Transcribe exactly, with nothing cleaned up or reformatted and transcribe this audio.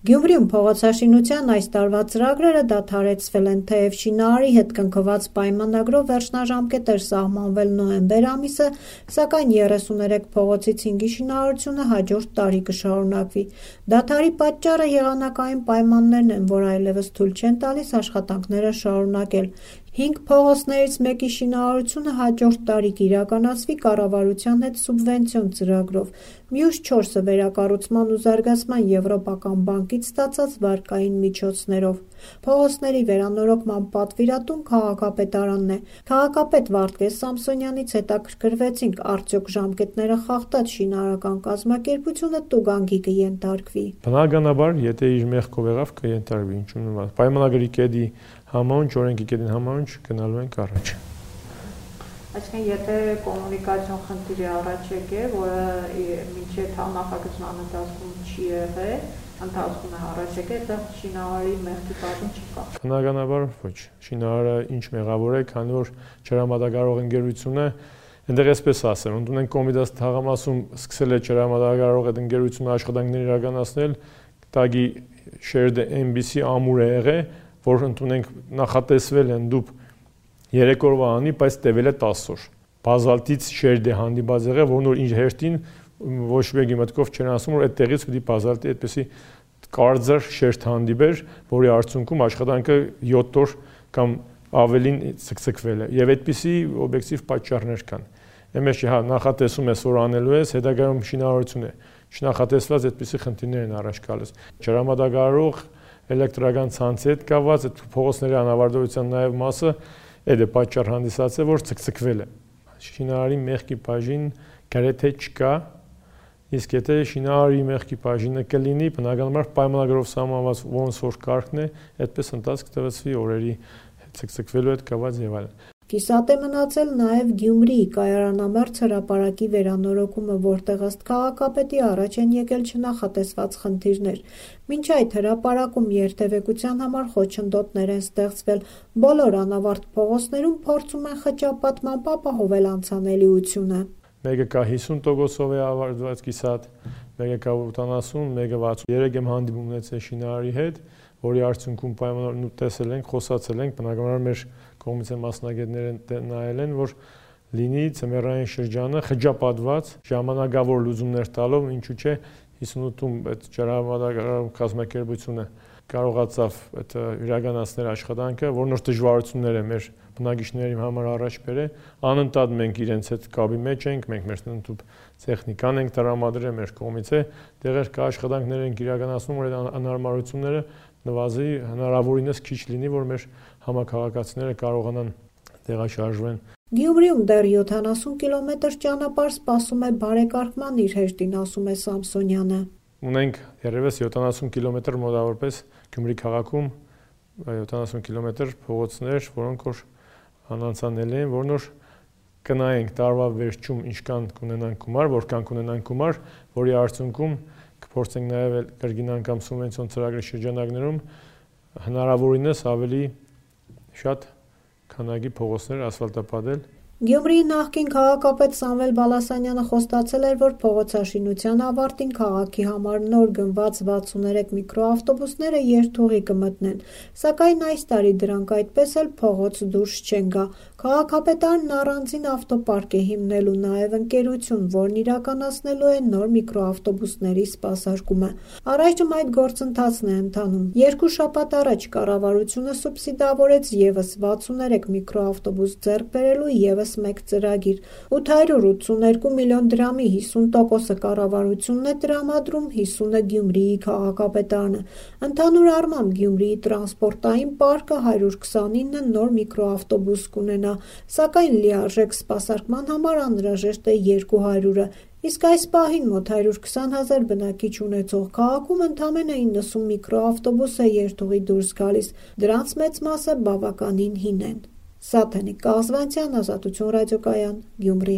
Գյումրիում փողոցաշինության այս տարվա ծրագրերը դադարեցվել են, թեև շինարարի հետ կնքված պայմանագրով վերջնաժամկետ էր սահմանվել նոյեմբեր ամիսը, սակայն երեսուներեք փողոցի ցինգի շինարարությունը հաջորդ տարի կշարունակվի։ Դադարի պատճառը եղանակային պայմաններն են, որ այլևս թույլ չեն տալիս աշխատանքները շարունակել։ Հինգ փողոցներից մեկի շինարարությունը հաջորդ տարի կիրականացվի կառավարության հետ սուբվենցիոն ծրագրով, մյուս չորսը վերակառուցման ու զարգացման Եվրոպական բանկից ստացած վարկային միջոցներով։ Փողոցների վերանորոգման պատվիրատուն քաղաքապետարանն է։ Քաղաքապետ Վարդգես Սամսոնյանից հետաքրքրվեցինք, արդյոք ժամկետները խախտած շինարարական կազմակերպությունը տուգանքի կենթարկվի։ Բնականաբար, եթե իր մեղքով եղավ, կենթարկվի, ինչու՞ նման։ Պայմանագրի կետի համաունչ, օրենքի կետին համաունչ գնալու ենք առաջ։ Այսինքն, եթե կոմունիկացիոն խնդիր է առաջ եկել, որը մինչև նախագծման ընթացքում չի եղել, ընթացքում է առաջ եկել, դա շինարարի մեղքի բաժին չկա։ Բնականաբար ոչ։ Շինարարը ինչ մեղավոր է, քանի որ ջրամատակարարող ընկերությունը, այնտեղ էսպես ասեմ, ընդունենք Կոմիտաս թաղամասում սկսել է ջրամատակարարող այդ ընկերությունը աշխատանքներ իրականացնել, տագի շերդը էն բի սի ամուր է եղել, որ ընդունենք նախատեսվել են դուք երեք օրվա անի, բայց տևել է տասը օր։ Բազալտից շերդ է հանդիպած եղել, որն որ իր հերթին ոչ մեկի մտքով չեն ասում, որ այդտեղից պիտի բազալտի այդպեսի կարծր շերդ հանդիպեր, որի արդյունքում աշխատանքը յոթ օր կամ ավելին ցկցկվել է։ Եվ այդպիսի օբյեկտիվ պատճառներ կան։ Εμես հա նախատեսում ես, որ անելու ես, հետագայում շինարարություն է։ Չնախատեսված այդպիսի խնդիրներ են առաջ գալիս։ Ջրամատակարարող էլեկտրական ցանցի հետ կապված այդ փողոցների անավարտության նաև մասը այդ է պատճառ հանդիսացել, որ ցկցկվել է։ Շինարարի մեղքի բաժին գրեթե չկա, իսկ եթե շինարարի մեղքի բաժինը կլինի, բնականաբար պայմանագրով սահմանված ոնց որ կարգն է, այդպես ընթացք տվեցվի օրերի ցկցկվելու հետ կապված եւ այլն։ Կիսատ է մնացել նաև Գյումրիի կայարանամերձ հրապարակի վերանորոգումը, որտեղ ըստ քաղաքապետի առաջ են եկել չնախատեսված խնդիրներ։ Մինչ այդ հրապարակում երթևեկության համար խոչընդոտներ են ստեղծվել, բոլոր անավարտ փողոցներում փորձում են խճապատմամբ ապահովել անցանելիությունը։ Մեկը կա հիսուն տոկոսով է ավարտված կիսատ, մեկը կա ութանասուն, մեկը վաթսուն։ Երեք եմ հանդիպում ունեցել շինարարի հետ, որի արդյունքում պայմաններ տեսել ենք, խոսացել ենք, բնականաբար մեր կողմից մասնագետները նայել են, որ լինի ծմերային շրջանը խճապատված ժամանակավոր լուծումներ տալով, ինչու՞ չէ հիսունութում այդ ջրամատակարարող կազմակերպությունը կարողացավ այդ իրականացնել աշխատանքը, որ նոր դժվարություններ է մեր բնակիչների համար առաջ բերել, անընդհատ մենք իրենց հետ կապի մեջ ենք, մենք մեր ընդհանուր տեխնիկան ենք տրամադրել մեր կողմից է, տեղեր կա աշխատանքներ ենք իրականացնում, որ այդ անհարմարությունները նվազի հնարավորինս քիչ լինի, որ մեր համակարգացիները կարողանան տեղաշարժվեն։ Գյումրիում դեռ յոթանասուն կիլոմետր ճանապարհ սպասում է բարեկարգման, իր հեշտին ասում է Սամսոնյանը։ Ունենք երևս յոթանասուն կիլոմետր մոտավորապես Գյումրի քաղաքում յոթանասուն կիլոմետր փողոցներ, որոնք որ անանցանել են, որն որ կնայենք տարվա վերջում ինչքան կունենանք գումար, որքան կունենանք գումար, որի արդյունքում կփորձենք նաև կրկին անգամ սուբվենցիոն ծրագրի շրջանակներում հնարավորինս ավելի շատ քանակի փողոցներ ասֆալտապատել։ Գյումրիի նախկին քաղաքապետ Սամվել Բալասանյանը խոստացել էր, որ փողոցաշինության ավարտին քաղաքի համար նոր գնված վաթսուններեք միկրոավտոբուսները երթուղի կմտնեն, սակայն այս տարի դրանք այդպես էլ փողոց դուրս չեն գա։ Քաղաքապետարն առանձին ավտոպարկ է հիմնելու, նաև ընկերություն, որն իրականացնելու է նոր միկրոավտոբուսների սպասարկումը։ Առայժմ այդ գործընթացն է ընթանում։ Երկու շաբաթ առաջ կառավարությունը սուբսիդավորեց ևս վաթսուններեք միկրոավտոբուս ձեռք բերելու ևս մեկ ծրագիր։ ութ հարյուր ութսուներկու միլիոն դրամի հիսուն տոկոսը կառավարությունն է տրամադրում, հիսունը Գյումրիի քաղաքապետարանը։ Ընդհանուր առմամբ Գյումրիի տրանսպորտային պարկը հարյուր քսանինը նոր միկրոավտոբուս կունենա, սակայն լիարժեք սպասարկման համար անհրաժեշտ է երկու հարյուրը, իսկ այս պահին մոտ հարյուր քսան հազար բնակիչ ունեցող քաղաքում ընդամենը իննսուն միկրոավտոբուս է երթուղի դուրս գալիս, դրանց մեծ մասը բավականին հին են։ Սաթենիկ Կազվանցյան, Ազատություն ռադիոկայան, Գյումրի։